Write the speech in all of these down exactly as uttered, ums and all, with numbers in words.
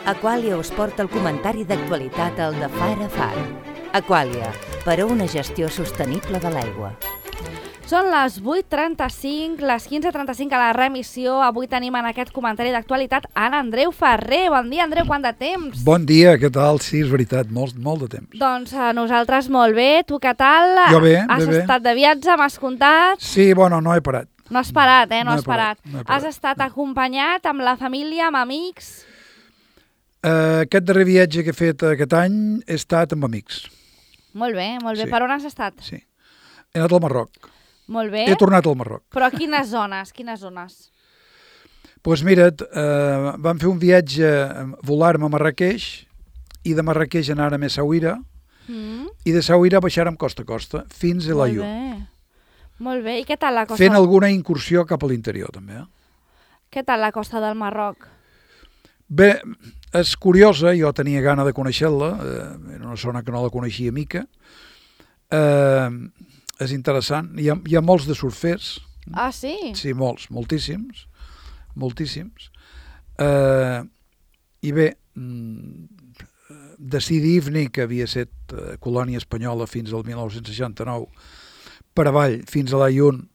Aquàlia us porta el comentari d'actualitat al de Far a Far. Aquàlia, per a una gestió sostenible de l'aigua. Són les vuit trenta-cinc, les quinze trenta-cinc a la remissió. Avui tenim en aquest comentari d'actualitat en Andreu Ferrer. Bon dia, Andreu, quant de temps? Bon dia, què tal? Sí, és veritat, molt, molt de temps. Doncs a nosaltres molt bé. Tu què tal? Jo bé, Has bé, bé. estat de viatge, m'has contat? Sí, bueno, no he parat. No has parat, eh? No, No he has parat. parat, no he parat. Has estat acompanyat amb la família, amb amics? Uh, aquest darrer viatge que he fet aquest any he estat amb amics. Molt bé, molt bé. Sí. Per on has estat? Sí. He anat al Marroc. Molt bé. He tornat al Marroc. Però a quines zones? Quines zones? Doncs pues mira't, uh, vam fer un viatge, volar-me a Marrakeix, i de Marrakeix anar a Essaouira, Mm. i de Essaouira baixar-me costa a costa, fins a Molt l'Aiun. bé. Molt bé. I què tal la costa? Fent alguna incursió cap a l'interior, també. Eh? Què tal la costa del Marroc? Bé, és curiosa, jo tenia gana de conèixer-la, eh, era una zona que no la coneixia mica. Eh, és interessant, hi ha, hi ha molts de surfers. Ah, sí? Sí, molts, moltíssims, moltíssims. Eh, I bé, de Sidi Ifni, que havia estat eh, colònia espanyola fins al mil nou-cents seixanta-nou, per avall, fins a l'Aiun,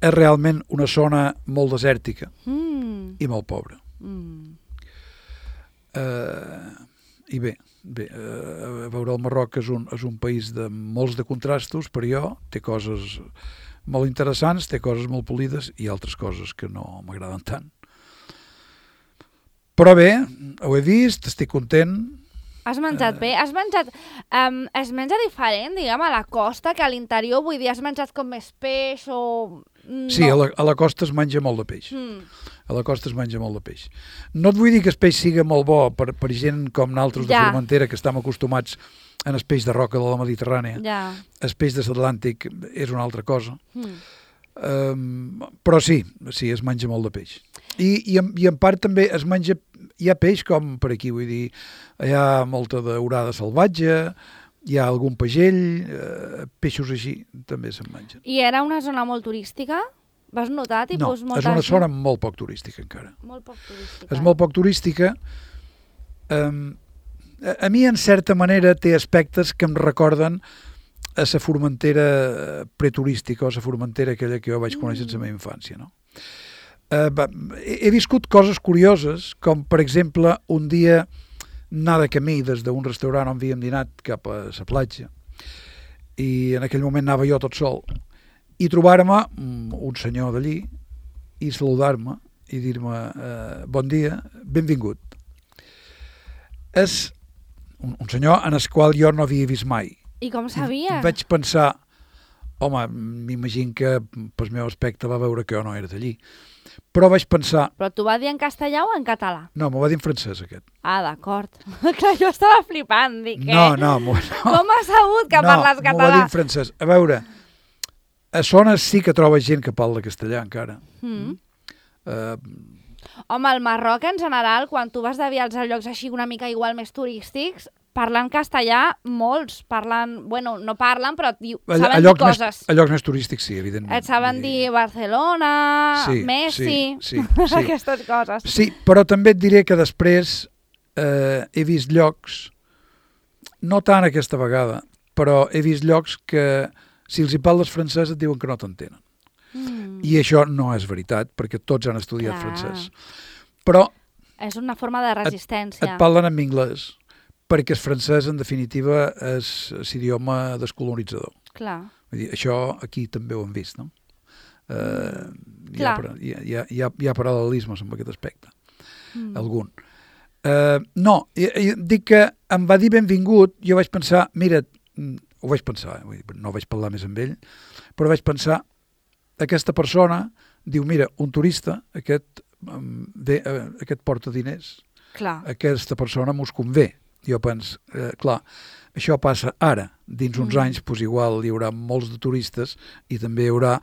és realment una zona molt desèrtica Mm. i molt pobra. Mm. Uh, I bé, bé uh, a veure, el Marroc és un, és un país de molts de contrastos, per jo, té coses molt interessants, té coses molt polides i altres coses que no m'agraden tant. Però bé, ho he vist, estic content. Has menjat bé? Has menjat... Um, es menja diferent, diguem, a la costa que a l'interior? Vull dir, has menjat com més peix o... No. Sí, a la, a la costa es menja molt de peix. Mm. A la costa es menja molt de peix. No et vull dir que el peix sigui molt bo per, per gent com naltros de Ja. Formentera, que estem acostumats en el peix de roca de la Mediterrània. Ja. El peix de l'Atlàntic és una altra cosa. Mm. Um, però sí, sí, es menja molt de peix. I, i, en, i en part també es menja, hi ha peix com per aquí, vull dir, hi ha molta daurada salvatge, hi ha algun pagell, eh, peixos així també se'n mengen. I era una zona molt turística? Vas notar, No, tipus, molta és una gent? zona molt poc turística encara. Molt poc turística. És molt poc turística. Um, a, a mi, en certa manera, té aspectes que em recorden a la Formentera preturística o a la Formentera aquella que jo vaig conèixer en la meva infància, no? Uh, va, he, he viscut coses curioses, com per exemple un dia anar de camí des d'un restaurant on havíem dinat cap a la platja, i en aquell moment anava jo tot sol, i trobar-me un senyor d'allí i saludar-me i dir-me uh, bon dia, benvingut. És un, un senyor en el qual jo no havia vist mai. I com sabia? I vaig pensar, home, m'imagino que pel meu aspecte va veure que jo no era d'allí. Però vaig pensar... Però t'ho va dir en castellà o en català? No, m'ho va dir en francès, aquest. Ah, d'acord. Clar, jo estava flipant, dic, No, eh? no, no. Com has sabut que no, parles m'ho va dir català? en francès. A veure, a zones sí que trobes gent que parla castellà encara. Mm. Uh, Home, al Marroc, en general, quan tu vas de viatge a llocs així una mica igual més turístics, parlen castellà molts, parlen... Bueno, no parlen, però diu, a, saben a, dir llocs coses. més, a llocs més turístics, sí, evidentment. Et saben dir Barcelona, Sí, Messi, sí, sí, sí. aquestes coses. Sí, però també et diré que després eh, he vist llocs, no tant aquesta vegada, però he vist llocs que si els hi parles francès et diuen que no t'entenen. Mm. I això no és veritat, perquè tots han estudiat Clar. francès. Però És una forma de resistència. et parlen en anglès, perquè el francès, en definitiva, és l'idioma descolonitzador. Clar. Vull dir, això aquí també ho hem vist, no? Eh, hi, ha, Clar. hi, ha, hi, ha, hi, ha, hi ha paral·lelismes amb aquest aspecte. Mm. Algun. Uh, no, jo, jo dic que em va dir benvingut, jo vaig pensar, mira, ho vaig pensar, vull dir, no vaig parlar més amb ell, però vaig pensar, aquesta persona diu, mira, un turista, aquest, um, ve, uh, aquest porta diners, Clar. aquesta persona mos convé. Jo penso, eh, clar, això passa ara, dins uns Mm. anys, doncs igual hi haurà molts de turistes i també hi haurà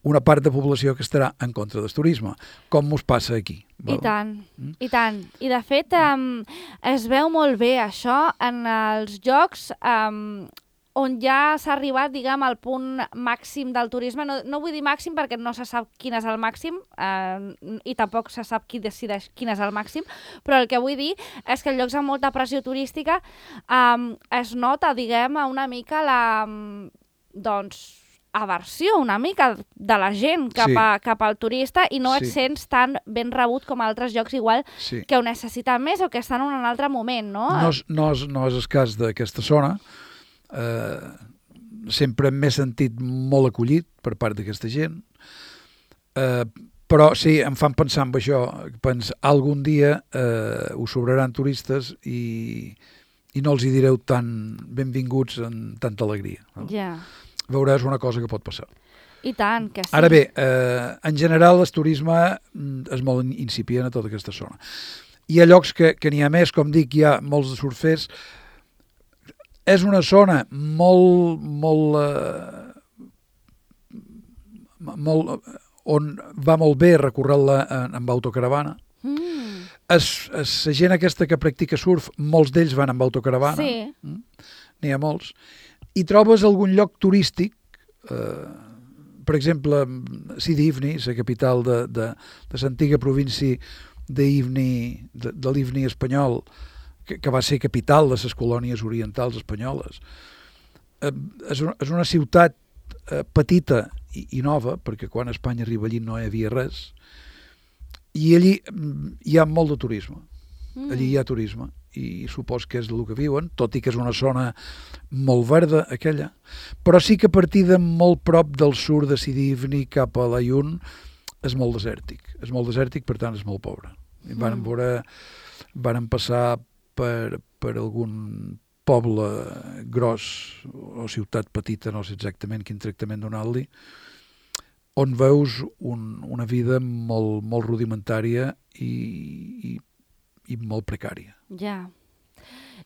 una part de població que estarà en contra del turisme, com mos passa aquí. I val? tant, Mm? i tant. I de fet um, es veu molt bé això en els jocs um, on ja s'ha arribat, diguem, al punt màxim del turisme. No, no vull dir màxim perquè no se sap quin és el màxim eh, i tampoc se sap qui decideix quin és el màxim, però el que vull dir és que en llocs amb molta pressió turística eh, es nota, diguem, una mica la, doncs, aversió una mica de la gent cap, Sí. a, cap al turista i no et Sí. sents tan ben rebut com a altres llocs igual Sí. que ho necessiten més o que estan en un altre moment, no? No és, no és, no és el cas d'aquesta zona. Eh, sempre m'he sentit molt acollit per part d'aquesta gent. Eh, però sí, em fan pensar en això. Pens, algun dia eh, us sobraran turistes i, i no els hi direu tan benvinguts en tanta alegria. No? Ja, Veuràs una cosa que pot passar. i tant, que sí. Ara bé, eh, en general el turisme mm, és molt incipient a tota aquesta zona. Hi ha llocs que, que n'hi ha més, com dic, hi ha molts de surfers. És una zona molt, molt, eh, molt on va molt bé recórrer-la amb autocaravana. Mm, Es, es, la gent aquesta que practica surf, molts d'ells van amb autocaravana. sí, Mm? N'hi ha molts. I trobes algun lloc turístic, eh, per exemple, Sidi Ifni, la capital de, de, de l'antiga província d'Ifni, de, de l'Ifni espanyol, que, que va ser capital de les colònies orientals espanyoles. Eh, és, una, és una ciutat eh, petita i, i nova, perquè quan Espanya arriba allí no hi havia res, i allí mm, hi ha molt de turisme. mm. Allí hi ha turisme i supos que és el que viuen, tot i que és una zona molt verda aquella, però sí que a partir de molt prop del sud de Sidi Ifni cap a l'Ayun és molt desèrtic, és molt desèrtic, per tant és molt pobre. I van Mm. veure, van passar per, per algun poble gros o ciutat petita, no sé exactament quin tractament donar-li, on veus un, una vida molt, molt rudimentària i, i, i molt precària. Ja.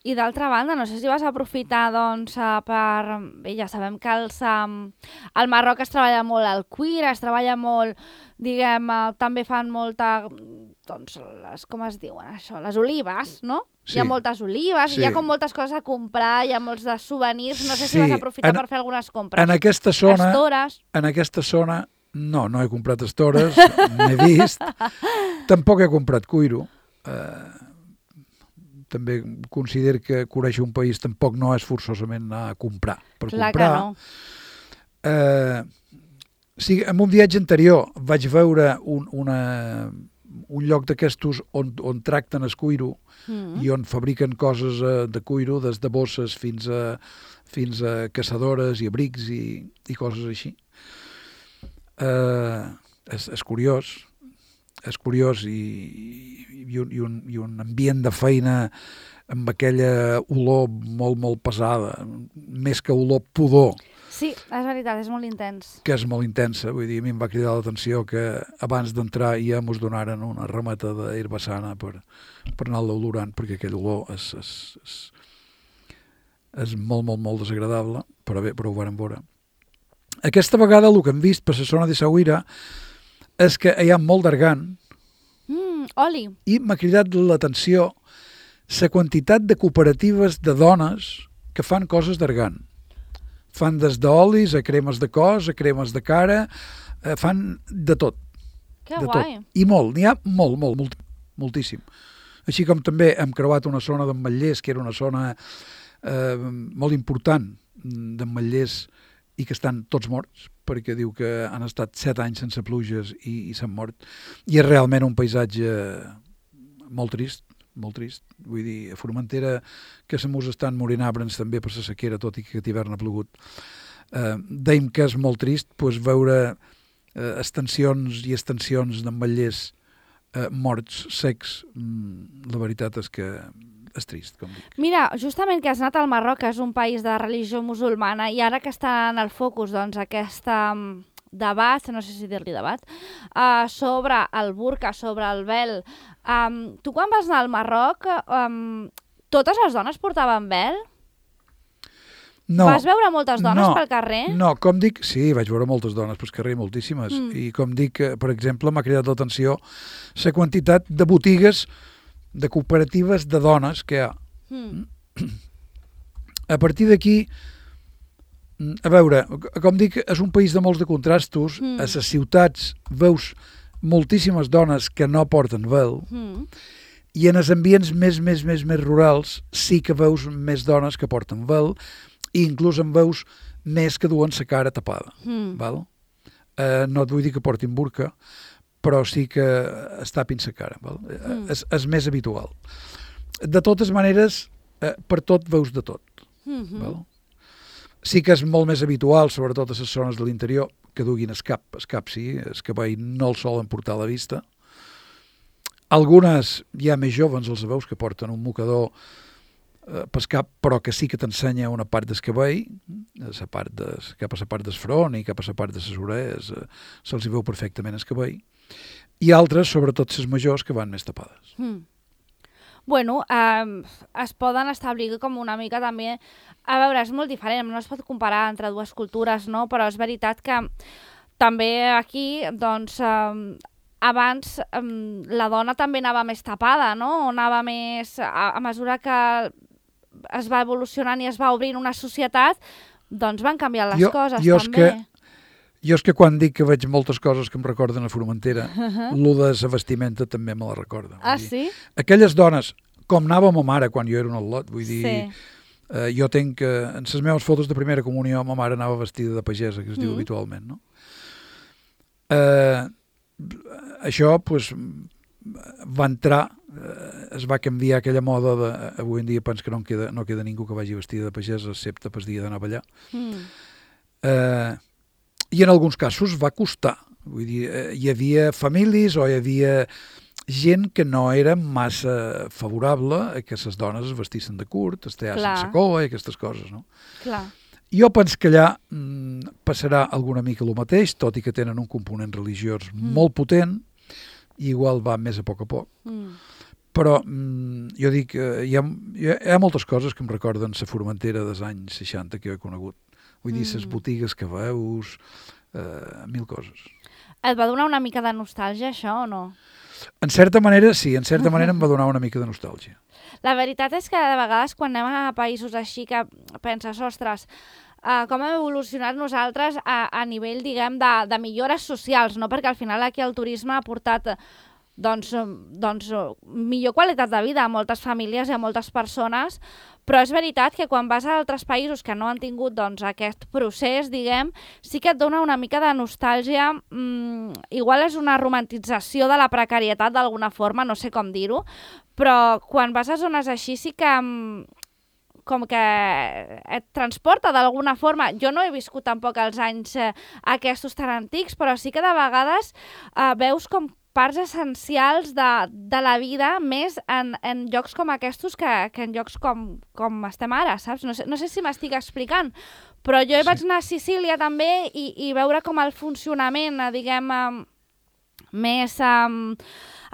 I d'altra banda, no sé si vas aprofitar, doncs, eh, per... Bé, ja sabem que els, um, al Marroc es treballa molt el cuir, es treballa molt, diguem, eh, també fan molta, doncs, les, com es diuen això, les olives, no? Sí. Hi ha moltes olives, Sí. hi ha com moltes coses a comprar, hi ha molts de souvenirs, no sé si Sí. vas aprofitar En- per fer algunes compres. En aquesta zona, Estores. en aquesta zona, no, no he comprat estores, n'he vist, tampoc he comprat cuiro. Eh, també considero que conèixer un país tampoc no és forçosament anar a comprar per Clar comprar. que no. Eh, sí, en un viatge anterior vaig veure un, una, un lloc d'aquestos on, on tracten el cuiro Mm. i on fabriquen coses eh, de cuiro, des de bosses fins a, fins a caçadores i abrics i, i coses així. Eh, és, és curiós, és curiós i, i, un, i, un, i un ambient de feina amb aquella olor molt, molt pesada, més que olor pudor, Sí, és veritat, és molt intens. que és molt intensa. Vull dir, a mi em va cridar l'atenció que abans d'entrar ja mos donaren una remeta d'herbassana per, per anar-la olorant, perquè aquell olor és, és, és, és molt, molt, molt desagradable, però bé, però ho vàrem veure. Aquesta vegada el que hem vist per la zona de Saüira és que hi ha molt d'argan Mm, oli. i m'ha cridat l'atenció la quantitat de cooperatives de dones que fan coses d'argan. Fan des d'olis a cremes de cos, a cremes de cara, eh, fan de tot. Que de guai. tot. I molt, n'hi ha molt, molt, molt, moltíssim. Així com també hem creuat una zona d'Ametllers, que era una zona eh, molt important d'Ametllers i que estan tots morts, perquè diu que han estat set anys sense pluges i, i s'han mort. I és realment un paisatge molt trist, molt trist. Vull dir, a Formentera, que se mos estan morint arbres també per la sequera, tot i que aquest hivern ha plogut. Eh, Deim que és molt trist pues, veure eh, extensions i extensions d'Ametllers eh, morts, secs. Mm, la veritat és que és trist, com dic. Mira, justament que has anat al Marroc, que és un país de religió musulmana, i ara que està en el focus, doncs, aquesta um, debat, no sé si dir-li debat, uh, sobre el burca, sobre el vel. Um, tu quan vas anar al Marroc, um, totes les dones portaven vel? No, Vas veure moltes dones no, pel carrer? no, com dic, sí, vaig veure moltes dones pel carrer, moltíssimes, Mm. i com dic, eh, per exemple, m'ha cridat l'atenció la quantitat de botigues, de cooperatives de dones que hi ha. Mm. A partir d'aquí, A veure, com dic, és un país de molts de contrastos. Mm. A les ciutats veus moltíssimes dones que no porten vel, Mm. i en els ambients més, més, més, més rurals sí que veus més dones que porten vel, i inclús en veus més que duen la cara tapada. Mm. Val? Eh, no et vull dir que portin burca, però sí que es tapin la cara. Val? Mm. És, és més habitual. De totes maneres, eh, per tot veus de tot. Mm-hmm. Val? Sí que és molt més habitual, sobretot a les zones de l'interior, que duguin el cap. El cap sí, el cabell no el solen portar a la vista. Algunes, ja més joves, els veus que porten un mocador eh, pel cap, però que sí que t'ensenya una part del cabell, la part de, cap a la part del front i cap a la part de les orelles, eh, se'ls hi veu perfectament el cabell. I altres, sobretot les majors, que van més tapades. Mm. Bueno, eh, es poden establir com una mica també... A veure, és molt diferent, no es pot comparar entre dues cultures, no? Però és veritat que també aquí, doncs, eh, abans eh, la dona també anava més tapada, no? O anava més... A, a mesura que es va evolucionant i es va obrint una societat, doncs van canviar les jo, coses jo també. Que, jo és que quan dic que veig moltes coses que em recorden a Formentera, Uh-huh. lo de la vestimenta també me la recorda. Vull Ah, dir, sí? aquelles dones, com anava ma mare quan jo era un al·lot, vull dir, Sí. eh, jo tenc, eh, en les meves fotos de primera comunió, ma mare anava vestida de pagesa, que es diu Mm. habitualment, no? Eh, això, doncs, va entrar, eh, es va canviar aquella moda de, avui en dia penso que no en queda, no queda ningú que vagi vestida de pagesa, excepte pel dia d'anar a ballar. Mm. Eh, I en alguns casos va costar. Vull dir, eh, hi havia famílies o hi havia gent que no era massa favorable a que les dones es vestissin de curt, es teassin Clar. la cova i aquestes coses, no? Clar. Jo penso que allà mm, passarà alguna mica el mateix, tot i que tenen un component religiós Mm. molt potent, i igual va més a poc a poc. Mm. Però mm, jo dic, eh, hi, ha, hi ha- hi ha moltes coses que em recorden la Formentera dels anys seixanta que jo he conegut. Vull dir, les Mm. botigues que veus, eh, mil coses. Et va donar una mica de nostàlgia, això, o no? En certa manera, sí, en certa manera em va donar una mica de nostàlgia. La veritat és que de vegades quan anem a països així que penses, ostres, uh, com hem evolucionat nosaltres a, a nivell, diguem, de, de millores socials, no? Perquè al final aquí el turisme ha portat doncs, doncs, millor qualitat de vida a moltes famílies i a moltes persones, però és veritat que quan vas a altres països que no han tingut doncs, aquest procés, diguem, sí que et dona una mica de nostàlgia. Mm, igual és una romantització de la precarietat d'alguna forma, no sé com dir-ho, però quan vas a zones així sí que mm, com que et transporta d'alguna forma. Jo no he viscut tampoc els anys eh, aquests tan antics, però sí que de vegades eh, veus com parts essencials de, de la vida més en, en llocs com aquests que, que en llocs com, com estem ara, saps? No sé, no sé si m'estic explicant, però jo Sí. vaig anar a Sicília també i, i veure com el funcionament, eh, diguem, eh, més eh,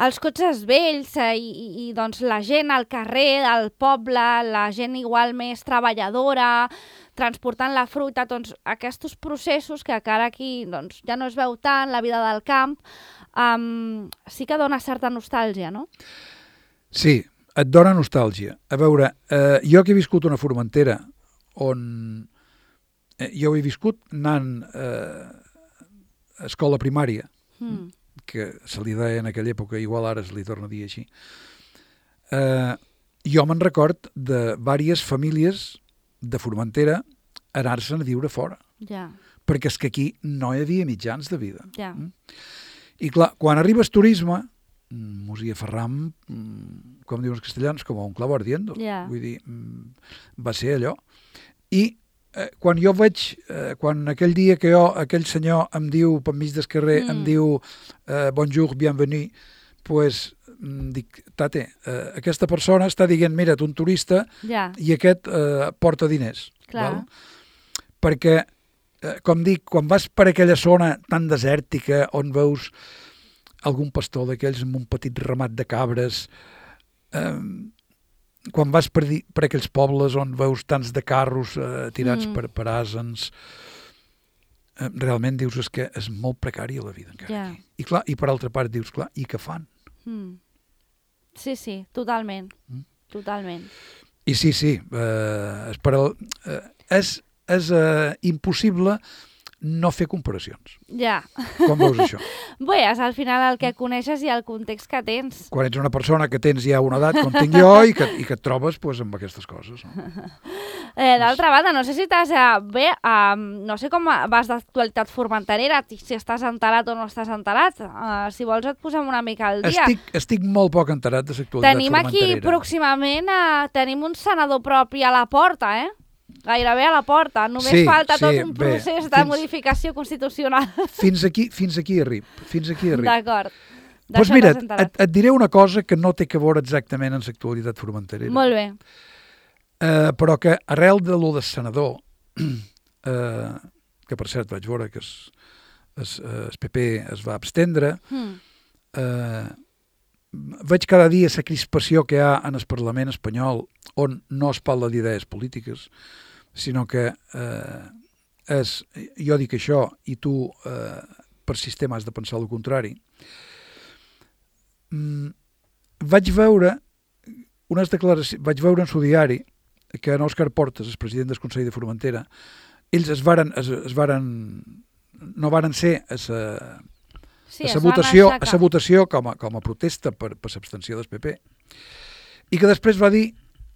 els cotxes vells eh, i, i, i doncs la gent al carrer, al poble, la gent igual més treballadora, transportant la fruita, doncs aquests processos que encara aquí doncs, ja no es veu tant, la vida del camp, um, sí que dona certa nostàlgia, no? Sí, et dona nostàlgia. A veure, eh, jo que he viscut una Formentera on eh, jo he viscut anant eh, a escola primària, Mm. que se li deia en aquella època, igual ara se li torna a dir així, eh, jo me'n record de diverses famílies de Formentera anar-se'n a viure fora, Ja, perquè és que aquí no hi havia mitjans de vida. ja. Mm. I clar, quan arribes turisme, mm, mos hi aferram, mm, com diuen els castellans, com a un clavo ardiendo. Ja. Vull dir, mm, va ser allò. I eh, quan jo veig, eh, quan aquell dia que jo, aquell senyor em diu, per mig del carrer, Mm. em diu eh, bonjour, bienvenue, pues, mm, dic, tate, eh, aquesta persona està dient, mira, tu un turista, Ja, i aquest eh, porta diners. Clar. Val? Perquè, eh, com dic, quan vas per aquella zona tan desèrtica on veus algun pastor d'aquells amb un petit ramat de cabres, eh, quan vas per, di, per aquells pobles on veus tants de carros eh, tirats Mm. per, per asens, eh, realment dius és que és molt precària la vida encara Ja. aquí. I clar, i per altra part dius, clar, i què fan? mm. Sí, sí, totalment, Mm. totalment. I sí, sí, eh, és, per al, eh, és és eh, impossible no fer comparacions. Ja. Com veus això? Bé, és al final el que coneixes i el context que tens. Quan ets una persona que tens ja una edat com tinc jo i que, i que et trobes pues, amb aquestes coses. No? Eh, D'altra banda, no sé si t'has... Eh, bé, eh, no sé com vas d'actualitat formenterera, si estàs enterat o no estàs enterat. Eh, si vols et posem una mica al dia. Estic, estic molt poc enterat de l'actualitat tenim formenterera. Aquí pròximament eh, tenim un senador propi a la porta, eh? Gairebé a la porta. Només sí, falta sí, tot un bé, procés de fins, modificació constitucional. Fins aquí, fins aquí arrib. Fins aquí arrib. D'acord. Doncs pues mira, et, et diré una cosa que no té que veure exactament amb l'actualitat formenterera. Molt bé. Uh, però que arrel de lo del senador, uh, que per cert vaig veure que es, es, es P P es va abstendre, mm. uh, veig cada dia la crispació que hi ha en el Parlament espanyol on no es parla d'idees polítiques, sinó que eh, és, jo dic això i tu eh, per sistema has de pensar el contrari. Mm, vaig veure unes declaracions, vaig veure en su diari que en Òscar Portas, el president del Consell de Formentera, ells es varen, es, es varen, no varen ser a sa, sí, a sa votació, a sa votació com a, com a protesta per, per l'abstenció del P P, i que després va dir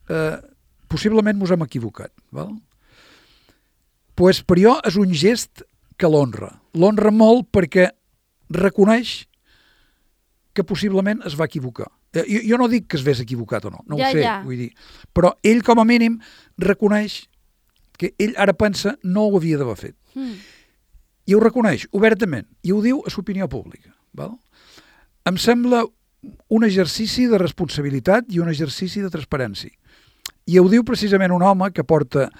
eh, possiblement mos hem equivocat. Val? Pues per jo és un gest que l'honra. L'honra molt perquè reconeix que possiblement es va equivocar. Eh, jo, jo no dic que es vés equivocat o no, no ja, ho sé, ja. vull dir. Però ell com a mínim reconeix que ell ara pensa no ho havia d'haver fet. Mm. I ho reconeix obertament, i ho diu a l'opinió pública. Val? Em sembla un exercici de responsabilitat i un exercici de transparència. I ho diu precisament un home que porta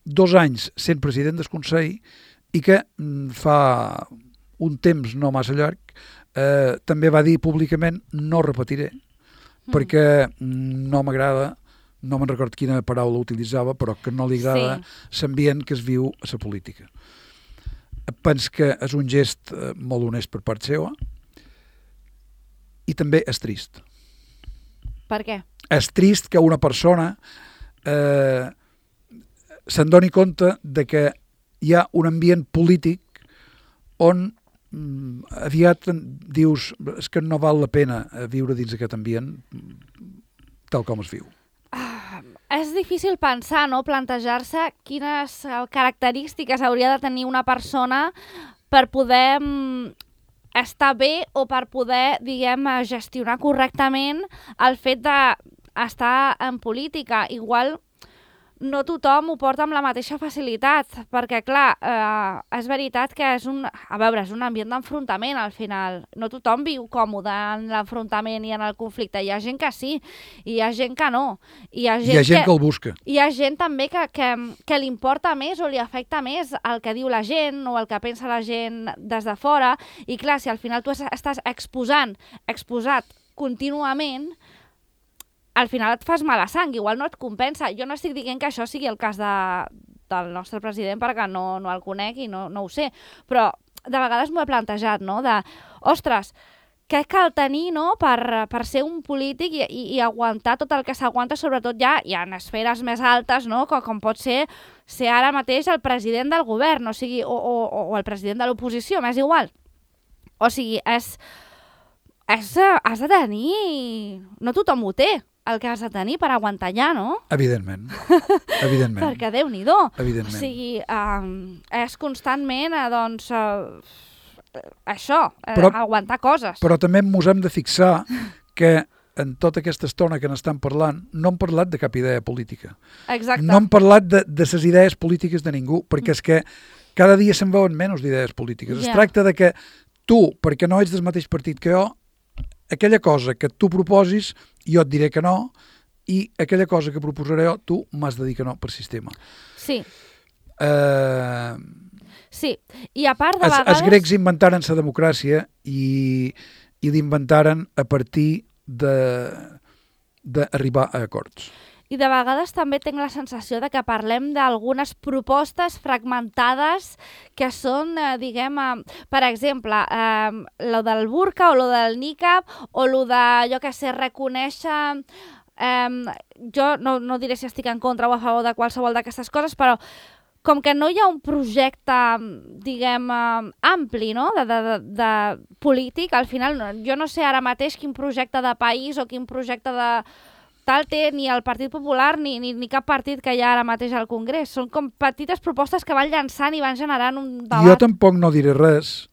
dos anys sent president del Consell i que fa un temps no massa llarg eh, també va dir públicament no repetiré, mm. perquè no m'agrada, no me'n record quina paraula utilitzava, però que no li agrada sí. l'ambient que es viu a la política. Penso que és un gest eh, molt honest per part seva i també és trist. Per què? És trist que una persona eh, se'n doni compte de que hi ha un ambient polític on mm, aviat dius és que no val la pena viure dins aquest ambient tal com es viu. Ah, és difícil pensar, no? Plantejar-se quines característiques hauria de tenir una persona per poder mm, estar bé o per poder, diguem, gestionar correctament el fet d'estar en política. Igual no tothom ho porta amb la mateixa facilitat, perquè, clar, eh, és veritat que és un, a veure, és un ambient d'enfrontament, al final. No tothom viu còmode en l'enfrontament i en el conflicte. Hi ha gent que sí, i hi ha gent que no. Hi ha gent, hi ha gent que, que el busca. Hi ha gent també que, que, que li importa més o li afecta més el que diu la gent o el que pensa la gent des de fora. I, clar, si al final tu estàs exposant, exposat contínuament, al final et fas mala sang, igual no et compensa. Jo no estic dient que això sigui el cas de, del nostre president perquè no, no el conec i no, no ho sé, però de vegades m'ho he plantejat, no? De, ostres, què cal tenir, no? per, per ser un polític i, i, i aguantar tot el que s'aguanta, sobretot ja hi ha esferes més altes, no? com, com pot ser ser ara mateix el president del govern, o sigui, o, o, o el president de l'oposició, m'és igual. O sigui, és, és, has de tenir... No tothom ho té, el que has de tenir per aguantar allà, no? Evidentment. Evidentment. Perquè Déu-n'hi-do. Evidentment. O sigui, um, és constantment, uh, doncs, uh, això, però, uh, aguantar coses. Però també ens hem de fixar que en tota aquesta estona que n'estan parlant no hem parlat de cap idea política. Exacte. No hem parlat de, de les idees polítiques de ningú, perquè és que cada dia se'n veuen menys d'idees polítiques. Yeah. Es tracta de que tu, perquè no ets del mateix partit que jo, aquella cosa que tu proposis, jo et diré que no, i aquella cosa que proposaré jo, tu m'has de dir que no per sistema. Sí. Uh, sí, i a part de es, vegades... Els grecs inventaren la democràcia i, i l'inventaren a partir d'arribar a acords. I de vegades també tinc la sensació de que parlem d'algunes propostes fragmentades que són, eh, diguem, eh, per exemple, eh, lo del burka o lo del niqab o lo de, jo què sé, reconèixer... Eh, jo no, no diré si estic en contra o a favor de qualsevol d'aquestes coses, però com que no hi ha un projecte, diguem, eh, ampli, no?, de, de, de, de polític, al final no, jo no sé ara mateix quin projecte de país o quin projecte de tal té ni el Partit Popular ni, ni, ni cap partit que hi ha ara mateix al Congrés. Són com petites propostes que van llançant i van generant un debat. Jo tampoc no diré res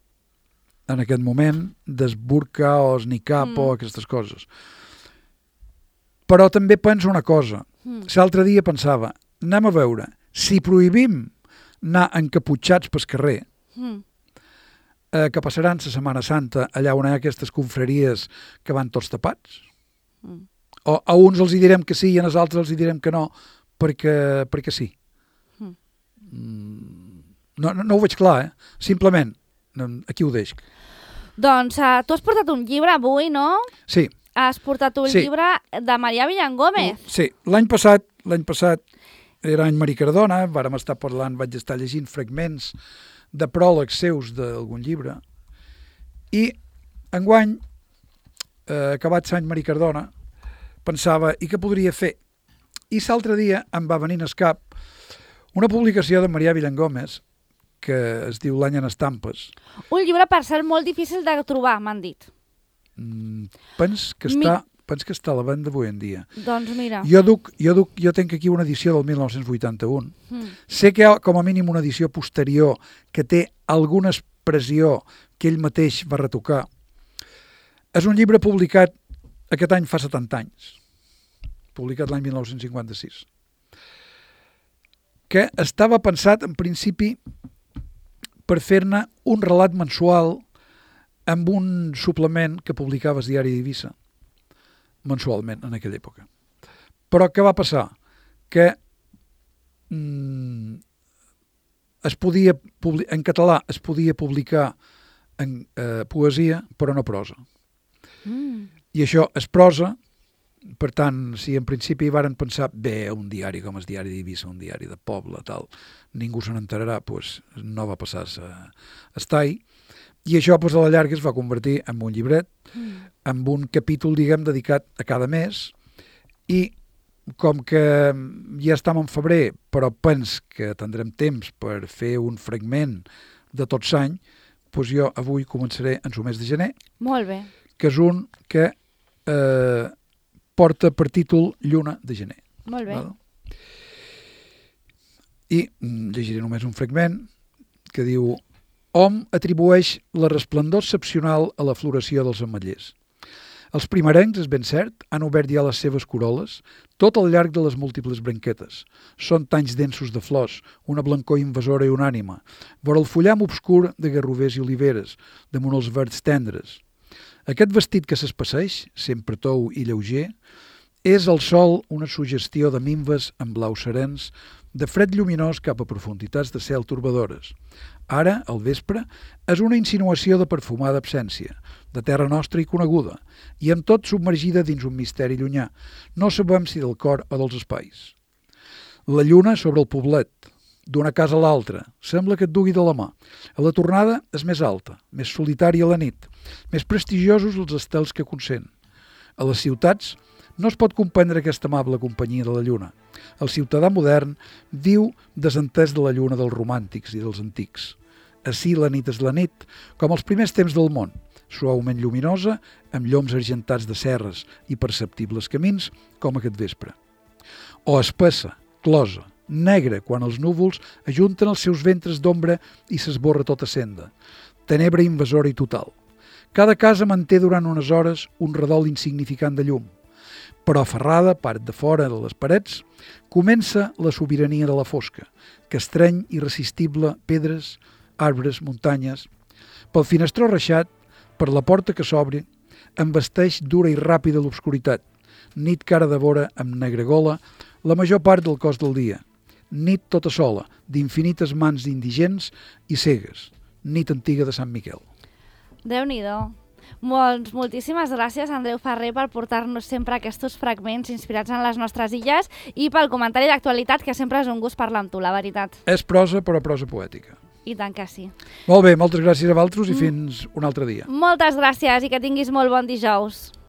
en aquest moment d'esburca o esnicar mm. o aquestes coses. Però també penso una cosa. Mm. L'altre dia pensava, anem a veure, si prohibim anar encaputxats pel carrer, mm. eh, que passaran la Setmana Santa allà on hi ha aquestes confraries que van tots tapats? Mm. O a uns els hi direm que sí i a els altres els hi direm que no, perquè, perquè sí. Mm. No, no, no ho veig clar, eh? Simplement, aquí ho deixo. Doncs uh, tu has portat un llibre avui, no? Sí. Has portat un sí. llibre de Marià Villangómez. Sí, l'any passat, l'any passat era any Maria Cardona, vàrem estar parlant, vaig estar llegint fragments de pròlegs seus d'algun llibre, i enguany, eh, acabat l'any Maria Cardona, pensava, i què podria fer? I l'altre dia em va venir al cap una publicació de Marià Villangómez que es diu L'any en estampes. Un llibre, per ser molt difícil de trobar, m'han dit. Mm, pens, que està, Mi... pens que està a la venda avui en dia. Doncs mira. Jo, duc, jo, duc, jo tenc aquí una edició del mil nou-cents vuitanta-u. Mm. Sé que hi ha com a mínim una edició posterior que té alguna expressió que ell mateix va retocar. És un llibre publicat aquest any fa setanta anys, publicat l'any mil nou-cents cinquanta-sis, que estava pensat en principi per fer-ne un relat mensual amb un suplement que publicava el diari d'Eivissa, mensualment en aquella època. Però què va passar? Que mm, es podia, en català es podia publicar en eh, poesia, però no prosa. Mm. I això és prosa, per tant, si en principi varen pensar, bé, un diari com el diari d'Eivissa, un diari de poble, tal, ningú se n'enterarà, doncs no va passar a estai, i això doncs, a la llarga es va convertir en un llibret, mm. en un capítol, diguem, dedicat a cada mes, i com que ja estem en febrer, però pens que tindrem temps per fer un fragment de tot l'any, doncs jo avui començaré en el mes de gener. Molt bé. Que és un que eh, porta per títol Lluna de gener. Molt bé. Val? I mm, llegiré només un fragment que diu: hom atribueix la resplendor excepcional a la floració dels ametllers. Els primerencs, és ben cert, han obert ja les seves coroles tot al llarg de les múltiples branquetes. Són tanys densos de flors, una blancor invasora i unànima, vora el fullam obscur de garrovers i oliveres, damunt els verds tendres. Aquest vestit que s'espesseix, sempre tou i lleuger, és al sol una suggestió de minves amb blaus serens, de fred lluminós cap a profunditats de cel torbadores. Ara, al vespre, és una insinuació de perfumada absència, de terra nostra i coneguda, i amb tot submergida dins un misteri llunyà. No sabem si del cor o dels espais. La lluna sobre el poblet, d'una casa a l'altra, sembla que et dugui de la mà. A la tornada és més alta, més solitària la nit, més prestigiosos els estels que consent. A les ciutats no es pot comprendre aquesta amable companyia de la lluna. El ciutadà modern viu desentès de la lluna dels romàntics i dels antics. Ací la nit és la nit, com els primers temps del món, suaument lluminosa, amb lloms argentats de serres i perceptibles camins, com aquest vespre. O espessa, closa, negra, quan els núvols ajunten els seus ventres d'ombra i s'esborra tota senda. Tenebra invasora i total. Cada casa manté durant unes hores un redol insignificant de llum. Però aferrada, part de fora de les parets, comença la sobirania de la fosca, que estreny irresistible pedres, arbres, muntanyes. Pel finestró reixat, per la porta que s'obre, embesteix dura i ràpida l'obscuritat. Nit cara de vora amb negra gola, la major part del cos del dia. Nit tota sola, d'infinites mans indigents i cegues. Nit antiga de Sant Miquel. Déu-n'hi-do. Molts, moltíssimes gràcies, Andreu Ferrer, per portar-nos sempre aquests fragments inspirats en les nostres illes i pel comentari d'actualitat, que sempre és un gust parlar amb tu, la veritat. És prosa, però prosa poètica. I tant que sí. Molt bé, moltes gràcies a vosaltres i fins un altre dia. Moltes gràcies i que tinguis molt bon dijous.